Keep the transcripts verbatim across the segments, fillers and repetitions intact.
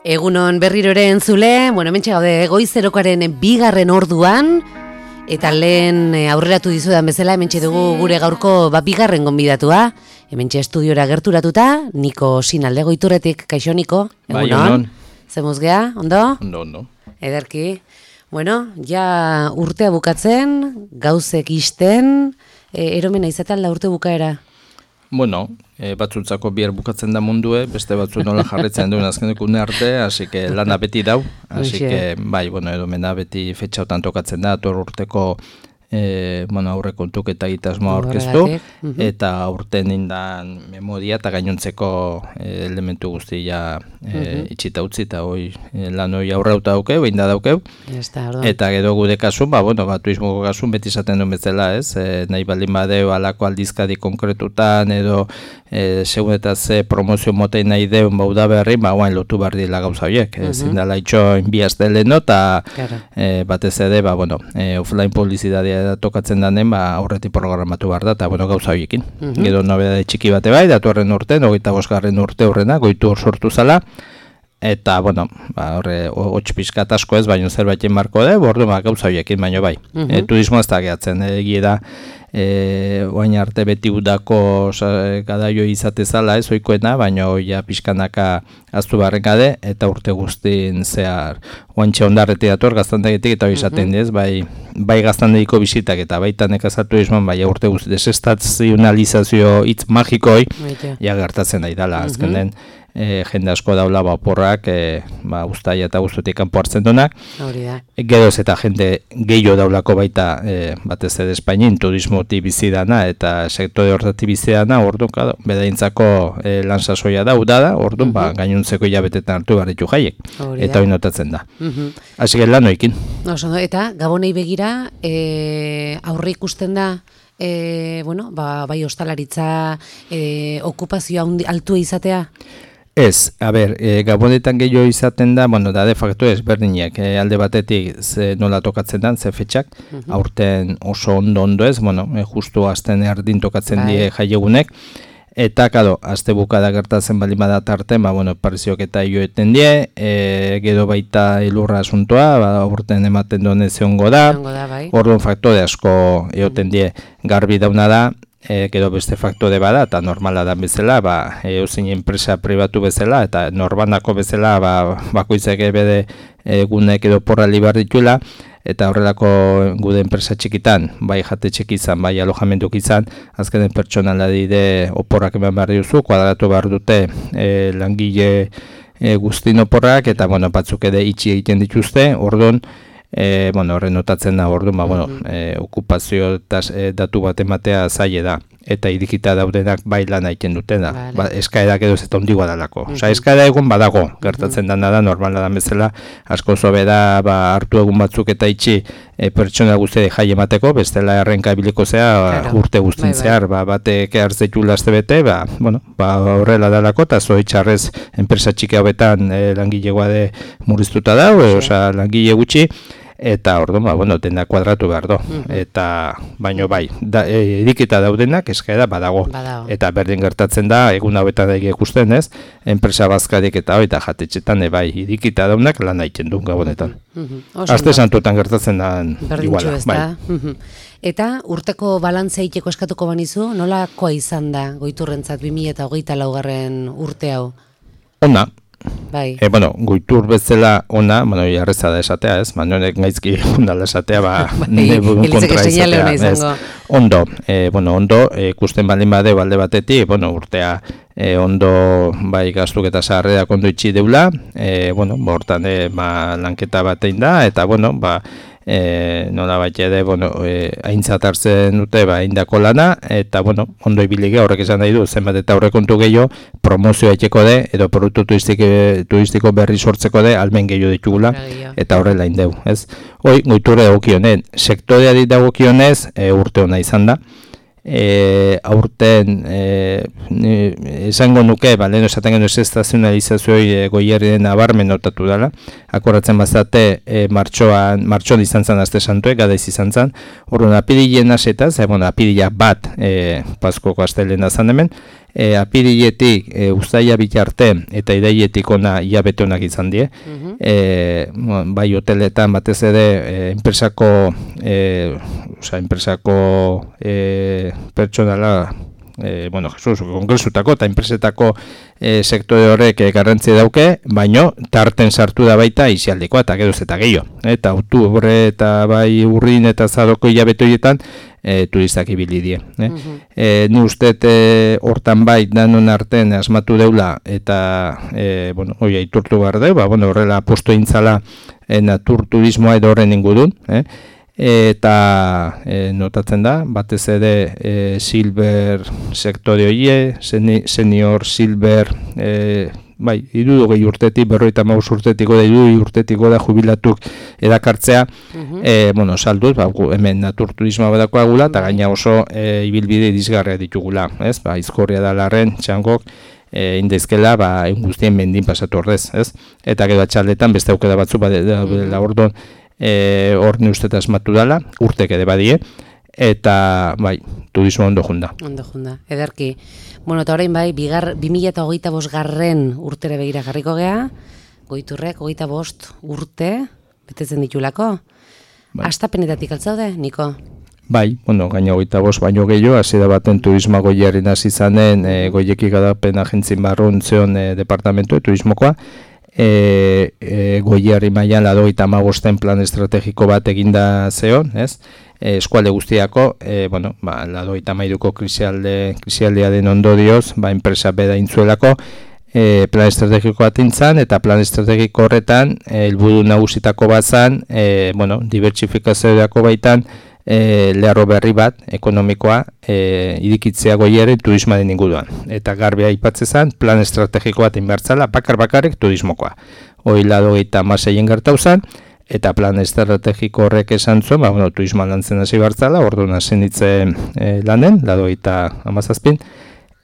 Egunon berriro ere entzule, bueno, hementxe gaude goizerokoaren bigarren orduan, eta lehen aurreratu dizudan bezala, hementxe dugu gure gaurko ba, bigarren gonbidatua, hementxe estudiora gerturatuta, Niko Sinalde Goiturretik, kaixo Niko, egunon. Bai, egunon. Zemuz gea, ondo? Ondo, ondo. Ederki. Bueno, ja urtea bukatzen, gauzek isten, e, eromena izaten la urte bukaera? Bueno, e, batzutzako bihar bukatzen da mundue, beste batzu nola jarretzen duen azkeneko une arte, hasi que lana beti dau, hasi que, bai, bueno, eromena beti fetxautan tokatzen da, ator urteko E, bueno, aurre kontuk eta egitasmoa aurkeztu, uh-huh. eta aurten indan memoria eta gainontzeko e, elementu guztia e, uh-huh. itxita utzi eta hoi e, lan hoi aurrauta daukeu, inda daukeu, eta gero gude kasun, ba, bueno, ba, turismoko kasun beti izaten duen bezala, ez, e, nahi baldin badeu alako aldizkadi konkretutan, edo e, segun eta ze promozio motei nahi deun bauda berri, ba, guain lotu behar dila gauza horiek, uh-huh. ezin dela itxoin bi aste leheno, eta e, batez ere, ba, bueno, e, offline publizitatea tokatzen danen, ba, aurretik programatu behar da, eta bueno, gauza horiekin. Uh-huh. Gero nobedade txiki bate bai, datu horren urten, hogeita bosgarren urte horrena, goitu hor sortu zala, eta, bueno, ba, horre, hotx pixkat asko ez, baino zerbaiten marko de, bordu, ba, gauza horiekin, baino bai. Uh-huh. E, turismo ez da gehatzen, egie da, e, oain arte beti udako gadaio izate zala, ez oikoena, baino ja pixkanaka aztu barren gade, eta urte guztin zehar, oantxe ondarreti dator gaztandegitik, eta hori izaten uh-huh. ez, bai, bai gaztandegiko bizitak, eta baita nekazal turismoan, bai urte guzti desestazionalizazio hitz magikoi, ja gertatzen nahi dala, uh-huh. azken den, E, jende asko daula baporrak e, ba, ustaia eta guztutik kanpo hartzen duenak. E, Geroz eta jende gehiago daulako baita e, batez ere Espainin turismoti bizidana eta sektore horreti bizidana, orduan, claro, bedaintzako e, lan sasoia da, uda da, orduan, uh-huh. ba, gainuntzeko hilabetetan hartu barritu jaiek. Hori eta hori notatzen da. Uh-huh. Hasi uh-huh. lan hoikin. Oso, eta gabonei begira e, aurre ikusten da, e, bueno, ba, bai ostalaritza e, okupazioa altua izatea? Ez, a ber, e, gabonetan gehiago izaten da, bueno, da de facto ezberdinak, e, alde batetik ze nola tokatzen da, ze fetxak, uh-huh. aurten oso ondo-ondo ez, bueno, e, justu azten erdin tokatzen Bye. die jaiegunek, eta, kado, azte bukada gertatzen bali bada tarten, ba, bueno, pariziok eta joeten die, e, gero baita ilurra asuntoa, ba, aurten ematen duen zeongo da, bai. Orduan faktore asko eoten die garbi dauna da, E, gero beste faktore bada, eta normala da bezala, ba, eusin enpresa pribatu bezala, eta norbanako bezala, ba, bakoitzak bede egunek edo porra libar dituela, eta horrelako gude enpresa txikitan, bai jate txiki izan, bai alojamentuk izan, azkenen pertsonala dide oporrak eman behar duzu, kuadratu behar dute e, langile e, guztin oporrak, eta bueno, batzuk ere itxi egiten dituzte, orduan, E, bueno, horren notatzen da, orduan, ba, bueno, e, okupazio eta e, datu bat ematea zaile da, eta irikita daudenak bai lan egiten dutena, vale. Ba, eskaerak edo zeta ondigoa dalako. Uh-huh. Osa, eskaera egun badago, gertatzen uh-huh. dana da, normala da bezala, asko zobe da, ba, hartu egun batzuk eta itxi e, pertsona guzti jai emateko, bestela errenka biliko zea, claro. urte guztin bai, zehar, ba, batek hartzetu laste bete, ba, bueno, ba, horrela dalako, eta zoitxarrez enpresa txiki hauetan e, langilegoa de murriztuta dau, e, osa, langile gutxi, eta orduan, ba, bueno, dena kuadratu behar do. Uh-huh. Eta, baino bai, da, e, edikita daudenak eskaera badago. Badago. Eta berdin gertatzen da, egun hauetan daik ikusten ez, enpresa bazkarik eta hori eta jatetxetan, e, bai, edikita daudenak lan egiten du gabonetan. Uh-huh. Aste santutan gertatzen da iguala. Bai. Uh-huh. Eta urteko balantzea iteko eskatuko banizu, nolakoa izan da Goiturrentzat bi mila hogeita laugarren urte hau? Ona. Bai. E, bueno, Goitur bezala ona, bueno, jarreza da esatea, ez? Manuelek gaizki ondala esatea, ba, nebun kontra izatea, ez? Ondo, e, bueno, ondo, ikusten e, baldin bade balde batetik, bueno, urtea e, ondo, bai, gaztuk eta zaharreak ondo itxi deula, e, bueno, bortan, e, ba, lanketa batein da, eta, bueno, ba, E, nola bat ere, bueno, e, aintzat hartzen dute, ba, indako lana, eta, bueno, ondo ibilige horrek esan nahi du, zenbat eta horrekontu gehiago, promozioa etxeko de, edo produktu turistiko, turistiko berri sortzeko de, almen gehiago ditugula, eta horrela indeu, ez? Hoi, Goiturre dagokionen, sektoreari dagokionez, e, urte hona izan da, E, aurten e, esango nuke, ba, lehen esaten genuen estazionalizazioi e, Goierrien nabarmen notatu dela, akorratzen bazate e, martxoan, martxoan izan zen aste santuek, gadaiz izan zen, orduan apirilien asetaz, e, bueno, apirila bat e, Paskoko astelena zan hemen, e, apiriletik e, uztaila bitarte eta irailetik ona hilabete onak izan die, uh-huh. e, bai hoteletan batez ere e, enpresako e, oza, enpresako e, pertsonala, e, bueno, Jesus, kongresutako eta enpresetako e, sektore horrek e, garrantzi dauke, baino tarten sartu da baita isialdikoa eta geroz eta gehiago. Eta oktubre eta bai urrin eta zaroko hilabete horietan e, turistak ibili die. Eh? Uh-huh. e, ni usteet e, hortan bai danon arten asmatu deula eta e, bueno, hoi aitortu behar deu, ba, bueno, horrela posto intzala e, naturturismoa edo horren ingudun, eh? Eta e, notatzen da, batez ere e, silver sektore hoie, senior silver, e, bai, irurogei urtetik, berrogeita hamabost urtetiko da, irurogei urtetiko da jubilatuk edakartzea, uh-huh. e, bueno, salduz, ba, hemen naturturismoa badakoa gula, eta gaina oso e, ibilbide dizgarria ditugula, ez? Ba, izkorria da larren, txangok, e, indezkela, ba, guztien mendin pasatu ordez, ez? Eta gero atxaldetan, beste aukera batzu, ba, da, da, ordon, E, hor ni uste asmatu dala, urtek ere badie, eta bai, turismo ondo junda. Ondo junda, ederki. Bueno, eta orain bai, bigar, bi mila hogeita bost garren urtere begira jarriko gea, Goiturrek hogeita bost urte, betetzen ditulako. Bai. Astapenetatik altzaude, Niko? Bai, bueno, gaina hogeita bost baino gehiago, hasi da baten turisma Goierrin hasi zanen, e, Goieki garapen agentzin barrun zeon e, departamentu, turismokoa, E, e, Goierri mailan laurogeita hamabosten plan estrategiko bat eginda zeon, ez? E, eskualde guztiako, e, bueno, ba, laurogeita hamairuko krisialde, krisialdearen ondorioz, ba, enpresa beda intzuelako, e, plan estrategiko bat intzan, eta plan estrategiko horretan, helburu e, nagusitako bat zan, e, bueno, dibertsifikazioako baitan, E, lerro berri bat, ekonomikoa, e, irikitzea Goierri turismaren inguruan. Eta garbi aipatzen zen, plan estrategiko bat inbertzala, bakar-bakarrik turismokoa. Hoi laurogeita hamaseien gertau zen, eta plan estrategiko horrek esan zuen, ba, bueno, turismoan lantzen hasi bertzala, orduan hasi nintzen e, lanen, laurogeita hamazazpin,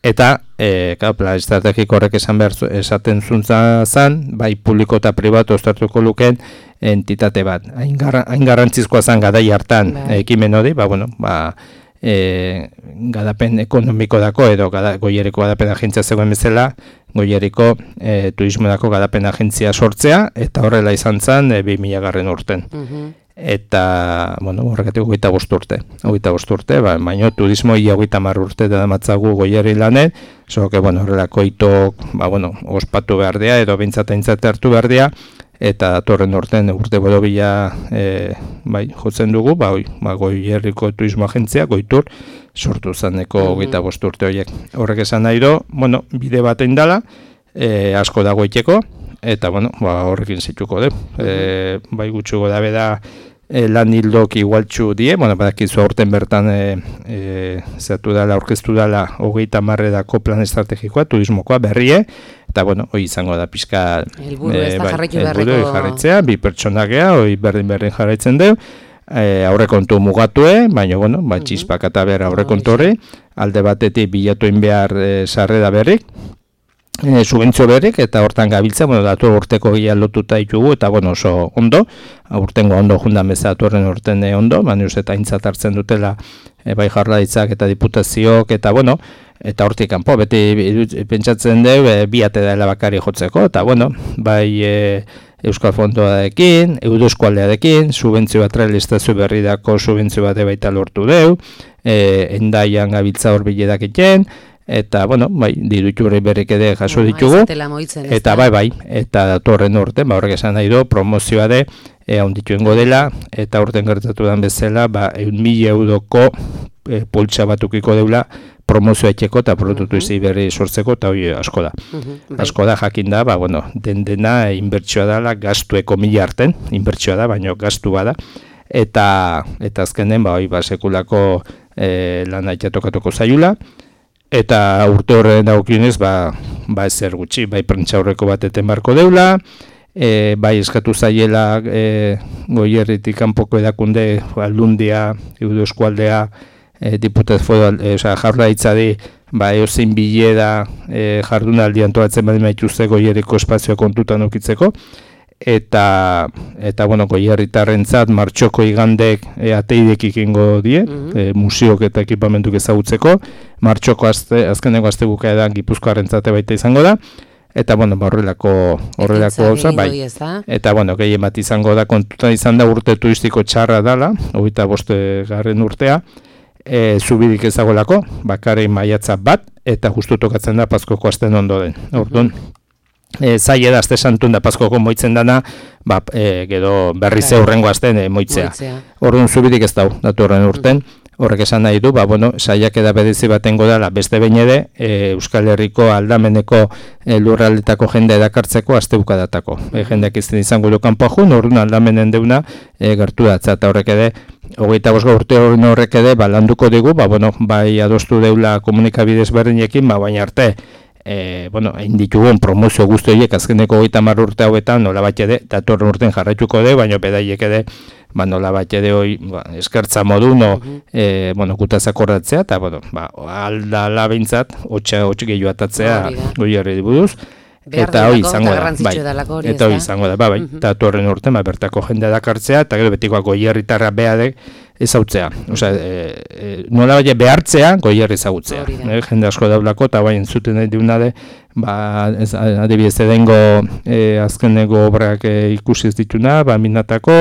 eta e, ka, plan estrategiko horrek esan behar esaten zuntza zen, bai publiko eta pribatu ostartuko lukeen entitate bat. Hain garrantzizkoa zen gadai hartan bai. Ekimen hori, ba, bueno, ba, e, gadapen ekonomiko dako, edo gada, Goierriko gadapen agentzia zegoen bezala, Goierriko e, turismodako gadapen agentzia sortzea, eta horrela izan zen e, bi mila garren urten. Uh-huh. Eta, bueno, horregatik hogeita bost urte. Hogeita bost urte, ba, baino turismo ia hogeita hamar urte da matzagu Goierri lanen, so que, bueno, horrelako itok, ba, bueno, ospatu behar dea, edo behintzat aintzat hartu behar dea, eta torren urten urte borobila e, bai, jotzen dugu, ba, oi, ba, Goierriko turismo agentzia, Goitur, sortu zaneko hogeita bost urte horiek. Horrek esan nahi do, bueno, bide bat indala, e, asko dago iteko, eta, bueno, ba, horrekin zituko du. E, bai gutxuko dabe da e, lan hildok igualtxu die, bueno, badakizu aurten bertan e, e, zatu dala, aurkeztu dala hogeita marredako plan estrategikoa, turismokoa berrie, eta, bueno, hoi izango da pixka helburu ez da jarraitu beharreko jarraitzea, bi pertsonakea, hoi berdin-berdin jarraitzen du, e, aurrekontu mugatue, baina, bueno, ba, txispak eta behar aurrekontu horri, alde batetik bilatuin behar e, sarrera berrik, E, subentzio berrik, eta hortan gabiltza, bueno, datu urteko gila lotuta ditugu, eta, bueno, oso ondo, urtengo ondo jundan bezatu horren urten ondo, baina eta aintzat hartzen dutela e, bai jarlaritzak eta diputazioak, eta, bueno, eta hortik kanpo, beti pentsatzen dugu, e, bi ate dela bakari jotzeko, eta, bueno, bai e, Euskal Fondoarekin, Eudo Eskualdearekin, subentzio bat realizazio berri dako subentzio bat baita lortu dugu, e, endaian gabiltza hor biledak iten, eta, bueno, bai, diruturri berrik ere jaso no, ditugu, moitzen, eta bai, bai, eta datorren urte, ba, horrek esan nahi do, promozioa de, e, ondituengo dela, eta urten gertatu den bezala, ba, eun mila euroko e, poltsa batukiko deula, promozioa etxeko eta produktu izi berri sortzeko, eta hori asko da. Uh-huh, asko da, jakin da, ba, bueno, den dena inbertsioa dela, gastueko mila arten, inbertsioa da, baina gastu bada, eta, eta azkenen, ba, hori, ba, sekulako e, lan aitea tokatuko zaiula, eta urte horren daukionez, ba, ba ezer gutxi, bai prentsa aurreko bat eten barko deula, e, bai eskatu zaiela e, Goierritik kanpoko edakunde, Aldundia, Eudo Eskualdea, e, diputaz foral, e, oza, jaurlaritzari ba, eozein bilera e, jardunaldi antolatzen badima ituzte goierriko espazioa kontutan ukitzeko, eta, eta bueno, goierritarrentzat martxoko igandek e, ateidek ikingo die, mm-hmm. e, museok eta ekipamentuk ezagutzeko, martxoko azte, azkeneko azte bukaedan Gipuzkoarrentzate baita izango da, eta bueno, ba, horrelako horrelako gauza, bai. Eta bueno, gehien bat izango da, kontutan izan da urte turistiko txarra dala, hogeita boste garren urtea, e, zubirik ezagolako, bakarri maiatza bat, eta justu tokatzen da Paskoko asten ondoren. Orduan, e, zaila da aste santun da Paskoko moitzen dana, ba, e, gero berriz eurrengo asten e, moitzea. Orduan zubirik ez dau, datu horren urten. Horrek esan nahi du, ba, bueno, saiak eda bedezi batengo dela beste behin ere, e, Euskal Herriko aldameneko e, lurraldetako jende edakartzeko astebukadatako. E, jendeak izten izango du kanpo jun, orduan aldamenen deuna e, gertu datza, eta horrek ere, hogeita bost urte horrek ere, ba, landuko digu, ba, bueno, bai adostu deula komunikabidez berdinekin, ba, baina arte, E, bueno, egin ditugun promozio guzti horiek azkeneko hogeita hamar urte hauetan nola bat ere, datorren urten jarraituko de, baina bedaiek ere, ba, nola bat ere hoi, ba, eskertza modu, no, uh-huh. e, bueno, gutaz akordatzea, eta, bueno, ba, aldala behintzat, hotxa, hotx gehiu atatzea, goi herri buruz, eta hoi izango da, bai, eta hoi izango da, ba, bai, uh-huh. datorren urten, ba, bertako jendea dakartzea, eta gero betikoa goi herritarra beadek, ezautzea, osea, e, e, nola baina behartzea, goierri ezagutzea. E, jende asko daulako, eta baina zuten nahi diunade, ba, ez, adibidez edengo e, azkeneko obrak e, ikusi ez dituna, ba, minatako,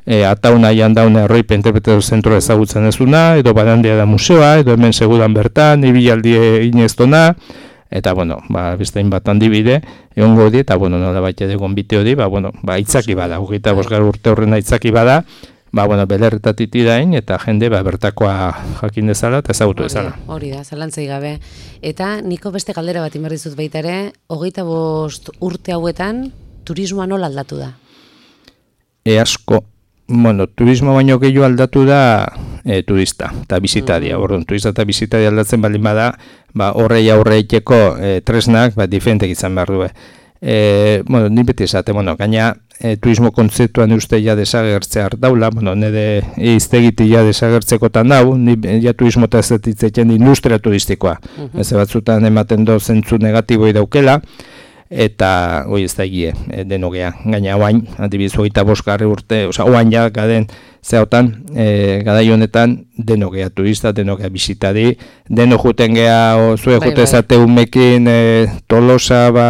e, atauna jandauna erroipe interpretazio zentroa ezagutzen ezuna, edo badandia da museoa, edo hemen segudan bertan, ibilaldi ineztona, eta, bueno, ba, bestein bat handibide, egongo di, eta, bueno, nola baita egon bite hori, ba, bueno, ba, itzaki bada, hogeita bosgar urte horrena itzaki bada, ba, bueno, belerretatik dain, eta jende, ba, bertakoa jakin dezala, eta ezagutu dezala. Hori da, zalantzai gabe. Eta niko beste galdera bat inberrizut baita ere, hogeita bost urte hauetan, turismoa nola aldatu da? E asko, bueno, turismo baino gehiago aldatu da e, turista, eta bizitaria. Mm. Orduan, turista eta bizitaria aldatzen baldin bada, ba, horrei aurreiteko e, tresnak, ba, diferentek izan behar du. E, bueno, ni beti esate, bueno, gaina e, turismo kontzeptuan uste ja desagertzea daula, bueno, nire iztegiti ja desagertzekotan dau, ni ja turismo eta ez ditzetzen industria turistikoa. Uh-huh. Ez batzutan ematen do zentzu negatiboi daukela, eta hoi ez da egie, e, denogea. Gaina oain, adibidez, hogeita bost garre urte, oza, oain ja, gaden, zehotan, e, gadai honetan, denogea turista, denogea bizitari, deno juten geha, o, zue bai, jute zate bai. Umekin, e, Tolosa, ba,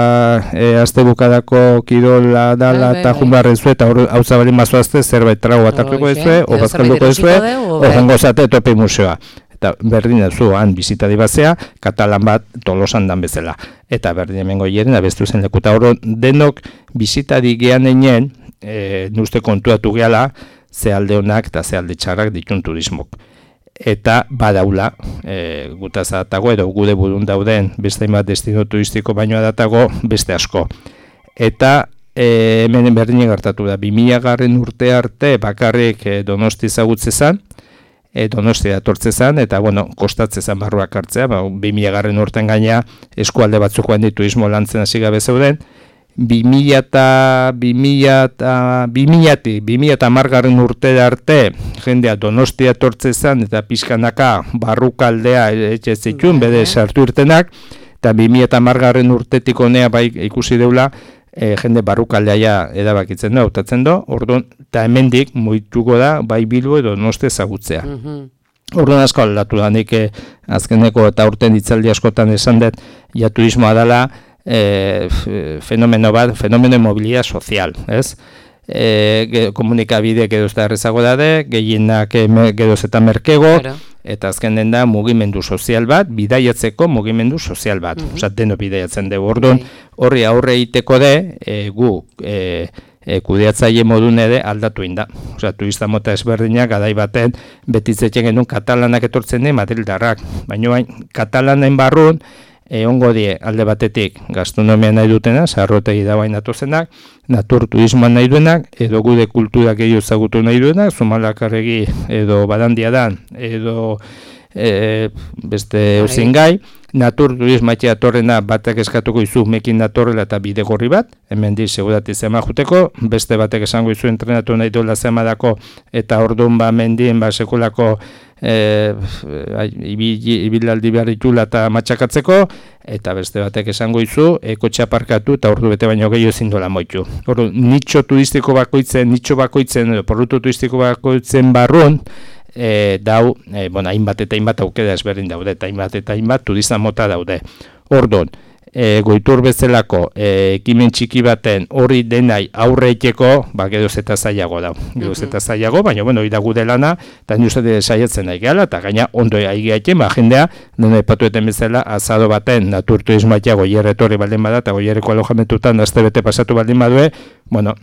e, azte bukadako kirola dala, eta bai, bai, junbarren zue, eta hau zabalin mazoazte, zerbait trago atartuko ezue, o bazkalduko ezue, o jengo zate topi museoa. Eta berdin zu, han bizitari bazea, katalan bat Tolosan dan bezala. Eta berdin hemengo hieren, abestu zen lekuta oro, denok bizitari gehan einen, e, nuste kontuatu gehala, ze alde honak eta ze alde txarrak ditun turismok. Eta badaula, e, gutaz adatago, edo gude burun dauden beste bat destino turistiko baino adatago beste asko. Eta e, hemen berdin gertatu da, bi mila garren urte arte bakarrik e, Donosti ezagutze zan, e, Donosti datortze zan, eta bueno, kostatze zan barruak hartzea, ba, bi mila garren urten gaina eskualde batzuk joan ditu turismo lantzen hasi gabe zeuden, bi mila eta bi mila eta hamargarren urte arte jendea Donostia etortze zan eta pixkanaka barrukaldea etxe zituen bede sartu irtenak, eta bi mila eta hamargarren urtetik honea bai ikusi deula e, jende barrukaldea ja edabakitzen da, hautatzen do, orduan, eta hemendik moituko da bai Bilbo edo Donostia ezagutzea. Mm-hmm. Orduan asko aldatu da, nik eh, azkeneko eta urten hitzaldi askotan esan dut, ja turismoa dela, E, fenomeno bat, fenomeno mobilia sozial, ez? E, komunikabide geroz eta errezago dade, gehienak geroz eta merkego, claro. Eta azken den da mugimendu sozial bat, bidaiatzeko mugimendu sozial bat, mm-hmm. Osa, deno bidaiatzen dugu, orduan, horri aurre egiteko de, e, gu, e, e, kudeatzaile modun ere aldatu inda. Osa, turista mota ezberdinak, gadai baten, betitzetzen genuen katalanak etortzen den Madrildarrak, baina bain, katalanen barrun, egongo die alde batetik gastronomia nahi dutena, zaharrotegi da bain datozenak, natur turismoan nahi duenak, edo gude kulturak gehiago ezagutu nahi duenak, Zumalakarregi edo Badandia dan, edo e, beste euzin gai, natur turismoa datorrena batek eskatuko izu mekin datorrela eta bide gorri bat, hemen di segurati zema juteko, beste batek esango izu entrenatu nahi duela zema dako, eta orduan ba mendien ba sekulako e, ibilaldi behar ditula eta matxakatzeko, eta beste batek esango izu, e, kotxea parkatu eta ordu bete baino gehiago ezin dola moitu. Ordu, nitxo turistiko bakoitzen, nitxo bakoitzen, produktu turistiko bakoitzen barrun, e, dau, e, bueno, hainbat eta hainbat aukera ezberdin daude, eta hainbat eta hainbat turista mota daude. Orduan, e, goitur bezalako e, ekimen txiki baten hori denai aurre iteko, ba, geroz eta zailago dau. Geroz eta zailago, baina, bueno, hori da gude lana, eta ni uste saiatzen nahi gehala, eta gaina ondo aigeatzen, ba, jendea, nena epatueten bezala, azado baten, naturturismoatia goierre etorri baldin bada, eta goierreko alojamentutan, azte bete pasatu baldin badue, bueno,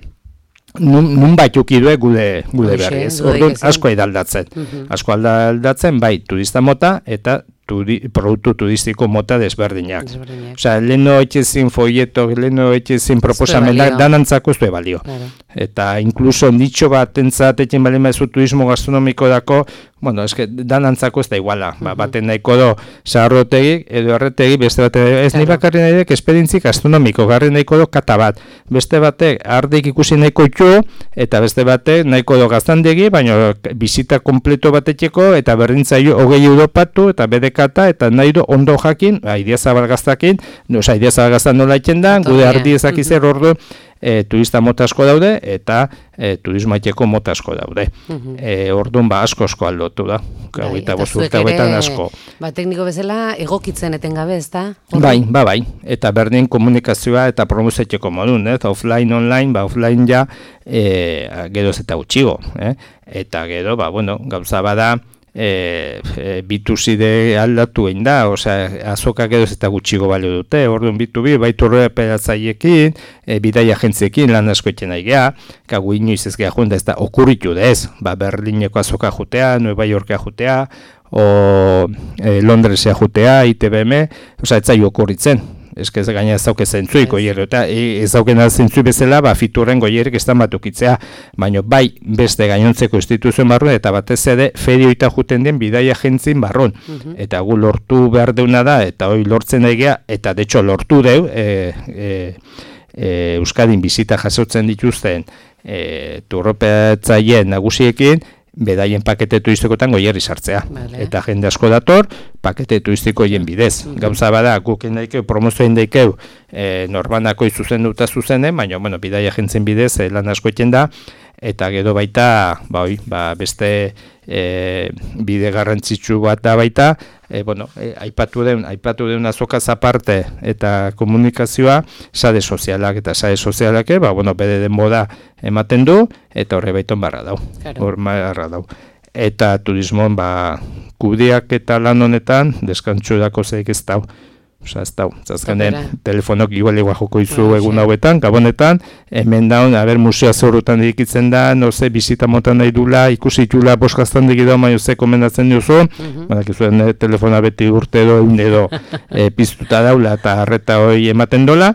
nun, nun baituk idue gude, gude berri, ez? Orduan, asko edaldatzen. Uh-huh. Asko aldatzen, bai, turista mota, eta turi, produktu turistiko mota desberdinak. Desberdinak. Osea, leheno etxezin folieto, leheno etxezin proposamenak, danantzako ez du balio. Claro. Eta inkluso nitxo bat entzat etxen balima ez turismo gastronomiko dako, bueno, eske danantzako ez da iguala. Uh-huh. Ba, baten nahiko do, zaharrotegi, edo erretegi, beste batek, ez claro. Nahi bakarri nahi dek, esperientzi gastronomiko, garri nahiko do kata bat. Beste batek, ardik ikusi nahiko itxu, eta beste batek, nahiko do gaztandegi, baina bizita kompleto batetxeko, eta berdintzaio hogei europatu, eta bedekata, eta nahi do ondo jakin, idea zabalgaztakin, oza, idea zabalgaztan nola itxen da, gude ardi ezakizer ordu, E, turista mota asko daude eta e, turismaiteko mota asko daude. Uh-huh. E, orduan ba asko asko aldotu da. Bai, eta bost urte hauetan asko. Ba, tekniko bezala egokitzen etengabe, ezta? Bai, ba, bai. Eta berdin komunikazioa eta promozetxeko modun, ez? Offline, online, ba, offline ja e, geroz eta gutxigo. Eh? Eta gero, ba, bueno, gauza bada, E, e, bituzide aldatu egin da, osea, azokak edo eta gutxigo balio dute, orduan bitu bi, baitu horreperatzaiekin, e, bidai agentziekin lan asko etxen nahi geha, kagu inoiz ez geha junda ez da okurritu dez, ba, Berlineko azoka jutea, Nueva Yorkea jutea, o e, Londresea jutea, I T B M, osea, ez zai okurritzen. Ez que ez gaina ez dauke zentzuik goierro, eta ez dauken zentzuik bezala, ba, fiturren goierrik ez da batukitzea, baina bai beste gainontzeko instituzioen barruan, eta batez ere ferioita juten den bidai agentzin barruan. Uh-huh. Eta gu lortu behar deuna da, eta hori lortzen daigea, eta de hecho lortu deu, e, e, e, Euskadin bizita jasotzen dituzten e, turropatzaien nagusiekin, bedaien pakete turistikotan goierri sartzea. Vale. Eta jende asko dator, pakete turistikoien bidez. Mm-hmm. Gauza bada, guken daikeu, promozioen daikeu, e, norbanako izuzen duta zuzenen, baina, bueno, bidai agentzen bidez, e, lan asko eten da, eta gero baita, ba, oi, ba, beste e, bide garrantzitsu bat da baita, e, bueno, e, aipatu den, aipatu den azokaz aparte eta komunikazioa, sare sozialak eta sare sozialak, ba, bueno, bede den moda ematen du, eta horre baiton barra dau. Claro. Hor barra dau. Eta turismoan, ba, kudiak eta lan honetan, deskantxo dako zeik ez dau. Osa, ez dau, zazkanen, telefonok igual igual joko izu no, egun hauetan, gabonetan, hemen daun, haber musea zorutan dikitzen da, no ze, bizita motan nahi dula, ikusi itula boskaztan dikidu, maio ze komendatzen duzu, uh-huh. Banak izuen eh, telefona beti urte edo, edo eh, piztuta daula, eta harreta hori ematen dola,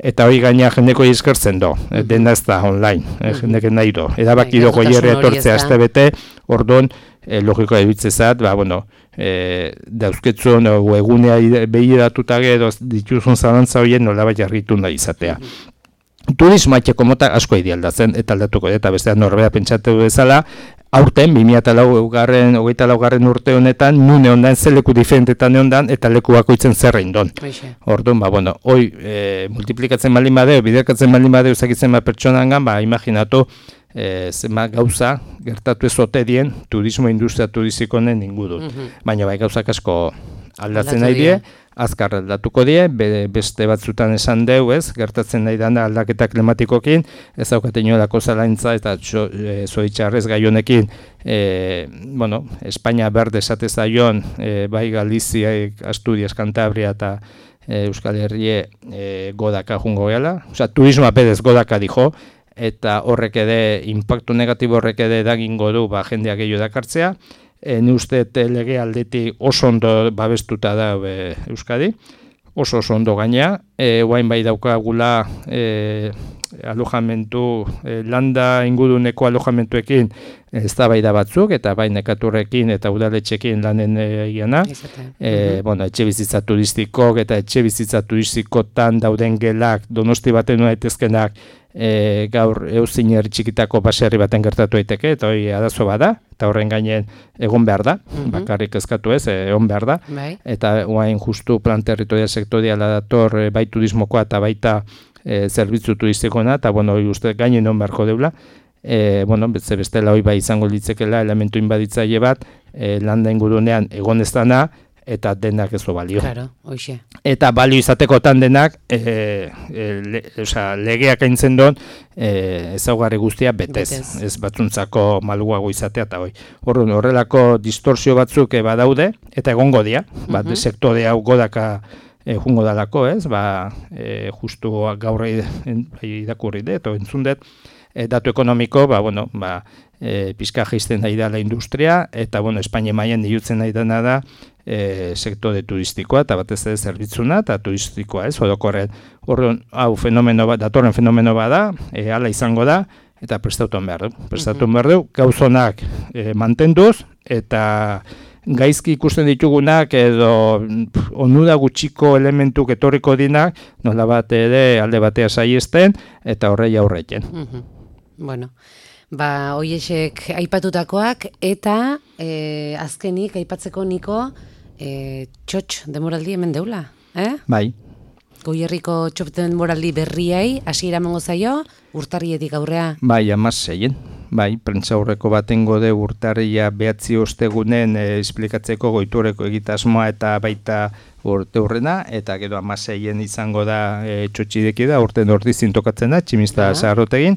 eta hori gaina jendeko izkertzen do, uh-huh. Dena ez da online, eh, jendeke nahi do, edabaki do goierre etortzea azte bete, orduan, eh, logikoa ebitzezat, ba, bueno, E, dauzketzun o egunea behiratuta gero dituzun zalantza horien nola bat jarritu nahi izatea. Mm-hmm. Turismoatxeko mota asko idealdatzen eta aldatuko eta bestean norbea pentsatu bezala, aurten, bi mila hogeita laugarren urte honetan, nune ondan, ze leku diferentetan ondan, eta leku bakoitzen zerrein don. Orduan, ba, bueno, hoi, e, multiplikatzen baldin badeu, biderkatzen baldin badeu, zakitzen bat pertsonangan, ba, imaginatu, E, zema gauza gertatu ezote dien turismo industria turistikonen ingurun. Mm-hmm. Baina bai gauzak asko aldatzen nahi die, azkar aldatuko die, be, beste batzutan esan deu, ez, gertatzen nahi dana aldaketa klimatikokin, ez daukaten inolako zalaintza eta e, zoritxarrez gai honekin, e, bueno, Espainia berde esate zaion, e, bai Galizia, Asturias, Cantabria eta e, Euskal Herrie e, godaka jungo gehala, osea, turismoa pedez godaka dijo, eta horrek ere, impactu negatibo horrek ere dagingo du ba, jendeak gehiago dakartzea. E, ni uste lege aldetik oso ondo babestuta da e, Euskadi, oso oso ondo gainea. E, Oain bai daukagula e, alojamentu, e, landa inguruneko alojamentuekin eztabaida batzuk, eta bai nekaturrekin eta udaletxekin lanen egiana. E, bueno, etxe bizitza turistikok eta etxe bizitza turistikotan dauden gelak, Donosti baten daitezkenak, e, gaur euzin herri txikitako baserri baten gertatu daiteke, eta hori arazo bada, eta horren gainen egon behar da, mm-hmm. bakarrik eskatu ez, egon behar da, bai. Eta oain justu plan territorial sektoriala dator e, bai turismokoa eta baita e, zerbitzu turistikoena, eta bueno, hori uste gainen egon beharko deula, e, bueno, beste bestela hori bai izango litzekela elementu inbaditzaile bat, e, landa ingurunean egon ez dana, eta denak ez balio. Claro, hoxe. Eta balio izatekotan denak, e, e, le, oza, legeak aintzen don, e, ezaugarri guztia betez. betez. Ez batzuntzako maluago izatea eta hoi. Orduan, horrelako distorsio batzuk e, badaude, eta egongo dia, mm-hmm. bat, sektore hau godaka e, jungo dalako, ez? Ba, e, justu gaur irakurri dut, o entzundet, e, datu ekonomiko, ba, bueno, ba, e, pizka jaisten nahi da la industria, eta, bueno, Espainia mailan diutzen nahi dena da, E, sektore turistikoa eta batez ere zerbitzuna eta turistikoa, ez, orokorren. Horren, hau fenomeno bat, datorren fenomeno bat da, e, ala izango da, eta prestatuan behar du. Prestatuan behar du, gauzonak e, mantenduz, eta gaizki ikusten ditugunak edo pff, onura gutxiko elementuk etorriko dinak, nola bat ere alde batea saiesten, eta horrei aurreten. Uh-huh. Bueno, ba, hoiesek aipatutakoak, eta e, azkenik aipatzeko niko, E, txotx demoraldi hemen deula, eh? Bai. Goierriko txotx demoraldi berriai, hasiera emango zaio, urtarrietik aurrea. Bai, amaseien. Bai, prentsaurreko batengo de urtarria behatzi ostegunen e, esplikatzeko goitureko egitasmoa eta baita urte hurrena, eta gero amaseien izango da e, txotxideki da, urten ordi zintokatzen da, tximista zaharrotegin,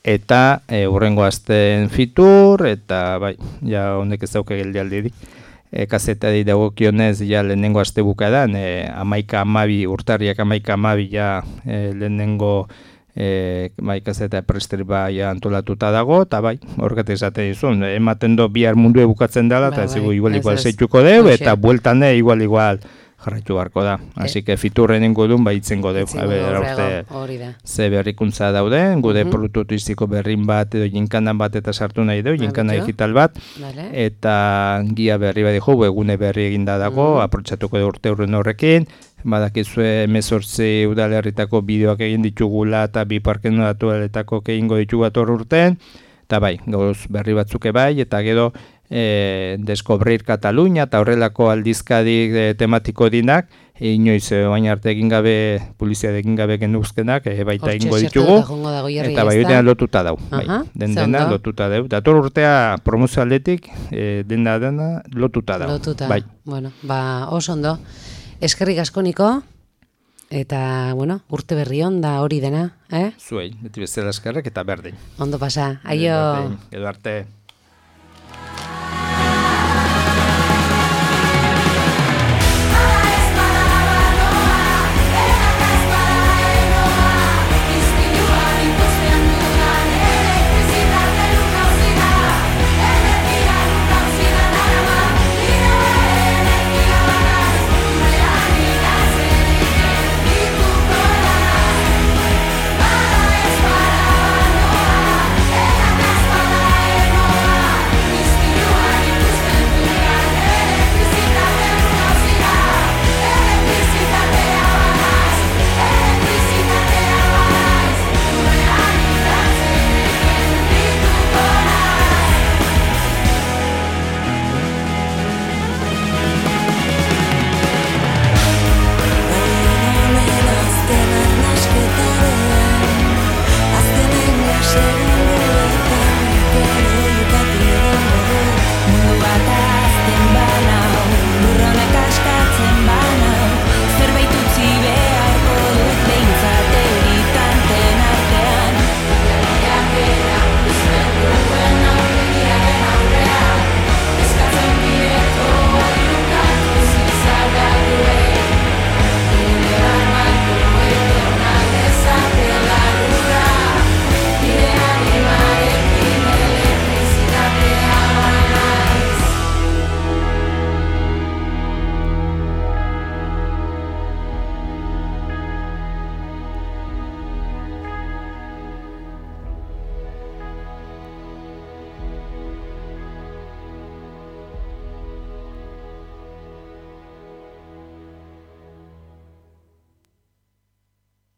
eta e, urrengo azten fitur, eta bai, ja honek ez dauke geldialdirik. E, kazetari dagokionez ja lehenengo aste bukadan, e, amaika amabi, urtarriak amaika amabi ja e, lehenengo e, bai, kazeta presteri bai antolatuta dago, eta bai, horregatik esaten dizun, ematen do bihar mundu bukatzen dela, eta ez bai, igual igual zeituko deu, eta bueltan igual igual jarraitu barko da. Así que fiturren ingudun bai itzengo deu. Hori da. Ze berrikuntza daude, gude uh-huh. produktu turistiko berrin bat edo jinkanan bat eta sartu nahi deu, jinkana digital bat, vale. Eta gia berri bat dijo, egune berri eginda dago, uh-huh. aprotxatuko de urte urren horrekin, badakizue hemezortzi udalerritako bideoak egin ditugula eta bi parken naturetako egingo ditugu ator urten, eta bai, gauz berri batzuke bai, eta gero E, Descobrir Cataluña eta horrelako aldizkadik e, tematiko dinak, e, inoiz e, baina arte egin gabe, polizia egin gabe genuzkenak, e, baita egingo ditugu, eta bai dena lotuta dau, bai, den dena lotuta dau. Dator urtea promozio aldetik, e, dena dena lotuta dau. Lotuta, bai. Bueno, ba, oso ondo. Eskerrik asko niko, eta, bueno, urte berri on da hori dena, eh? Zuei, beti bezala eskerrek eta berdin. Ondo pasa, aio. Edo arte.